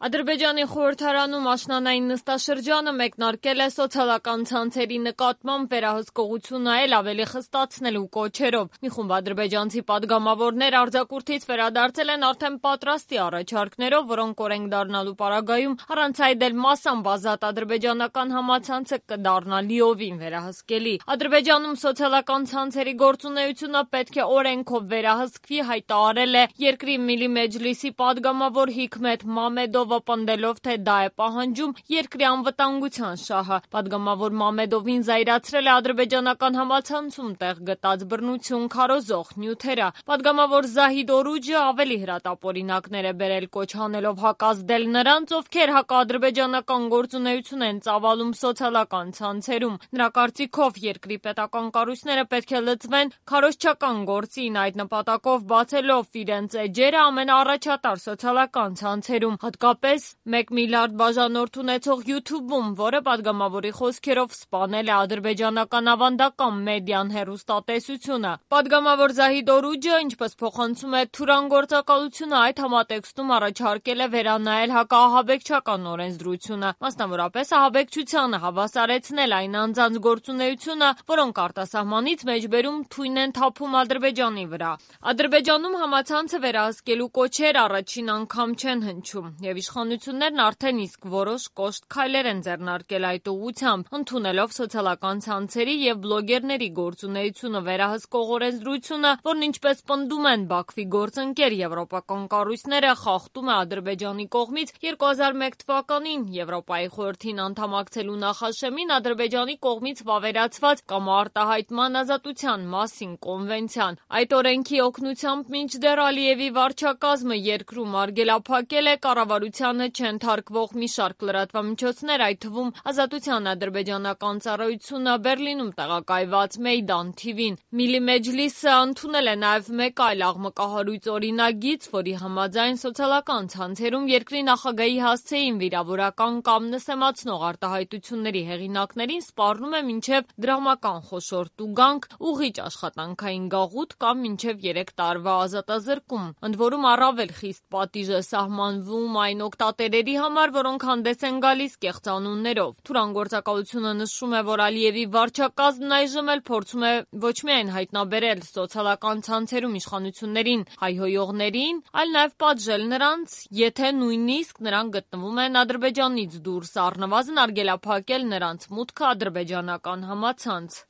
Ադրբեջանի խորհրդարանում աշնանային նստաշրջանը մեկնարկել է սոցիալական ցանցերի նկատմամբ վերահսկողություն այլ ավելի խստացնելու կոչերով։ Մի խումբ ադրբեջանցի պատգամավորներ արձակուրդից վերադարձել են արդեն պատրաստի առաջարկներով, որոնք օրենք դառնալու պարագայում առանց այդ էլ մասամբ ազատ ադրբեջանական համացանցը կդառնա լիովին վերահսկելի։ Ադրբեջանում սոցիալական ցանցերի գործունեությունը պետք է օրենքով վերահսկվի, հայտարարել է երկրի Միլի Մեջլիսի պատգամավոր Հիքմեթ Մամեդովը, պնդելով, թե դա է պահանջում երկրի անվտանգության շահը։ Պատգամավոր Մամեդովին զայրացրել է ադրբեջանական համացանցում տեղ գտած բռնություն քարոզող նյութերը։ Պատգամավոր Զահիդ Օրուջը ավելի հրատապօրինակներ է բերել, կոչ անելով հակազդել նրանց, ովքեր հակաադրբեջանական գործունեություն են ծավալում սոցիալական ցանցերում։ Նրա կարծիքով երկրի պետական կառույցները պետք է լծվեն քարոզչական գործին, այդ նպատակով բացելով իրենց էջերը ամենաառաջատար սոցիալական ցանցերում, հատկապես 1 միլիարդ բաժանորդ ունեցող YouTube-ում, որը պատգամավորի խոսքերով սպանել է ադրբեջանական ավանդական մեդիան հեռուստատեսությունը։ Պատգամավոր Զահիդ Օրուջը, ինչպես փոխանցում է Թուրան գործակալությունը, այդ համատեքստում առաջարկել է վերանայել հակաահաբեկչական օրենսդրությունը, մասնավորապես ահաբեկչությանը հավասարեցնել այն անձանց գործունեությունը, որոնք արտասահմանից մեջբերում թույն են թափում Ադրբեջանի վրա։ Ադրբեջանում համացանցը վերահսկելու կոչեր առաջին անգամ չեն հնչում, եւ իշխանություններն արդեն իսկ որոշ կոշտ քայլեր են ձեռնարկել այդ ուղղությամբ, ընդունելով սոցիալական ցանցերի եւ բլոգերների գործունեությունը վերահսկող օրենսդրությունը, որն ինչպես պնդում են Բաքվի գործընկեր եվրոպական կառույցները, խախտում է Ադրբեջանի կողմից 2001 թվականին Եվրոպայի խորհրդին անդամակցելու նախաշեմին Ադրբեջանի կողմից վավերացված կամ արտահայտման ազատության մասին կոնվենցիան։ Այդ օրենքի օգնությամբ մինչդեռ Ալիևի վարչակազմը երկրում արգելափակել է կառավարությանը չենթարկվող մի շարք լրատվամիջոցներ, այդ թվում Ազատության ադրբեջանական ծառայությունը Բերլինում տեղակայված Մեյդան TV-ն։ Միլի Մեջլիսը ընդունել է նաև մեկ այլ աղմկահարույց օրինագիծ, որի համաձայն սոցիալական ցանցերում երկրի նախագահի հասցեին վիրավորական կամ նսեմացնող արտահայտությունների հեղինակներին սպառնում է մինչև դրամական խոշոր տուգանք, ուղղիչ աշխատանքային գաղութ կամ մինչև 3 տարվա ազատազրկում։ Ընդ որում առավել խիստ պատիժ է սահմանվում այն օգտատերերի համար, որոնք հանդես են գալիս կեղծանուններով։ Թուրան գործակալությունը նշում է, որ Ալիևի վարչակազմն այժմ էլ փորձում է ոչ միայն հայտնաբերել սոցիալական ցանցերում իշխանություններին հայհոյողներին, այլ նաև պատժել նրանց, եթե նույնիսկ նրանք գտնվում են Ադրբեջանից դուրս, առնվազն արգելափակել նրանց մուտքը ադրբեջանական համացանց։